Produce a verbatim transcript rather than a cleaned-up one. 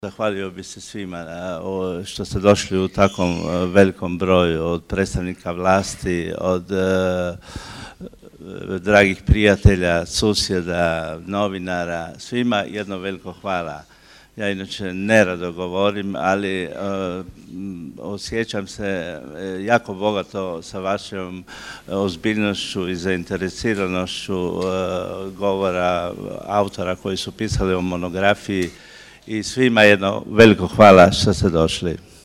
Zahvalio bi se svima što ste došli u takvom velikom broju, od predstavnika vlasti, od dragih prijatelja, susjeda, novinara, svima jedno veliko hvala. Ja inače nerado govorim, ali osjećam se jako bogato sa vašom ozbiljnošću i zainteresiranošću govora autora koji su pisali o monografiji i svima jedno veliko hvala što ste došli.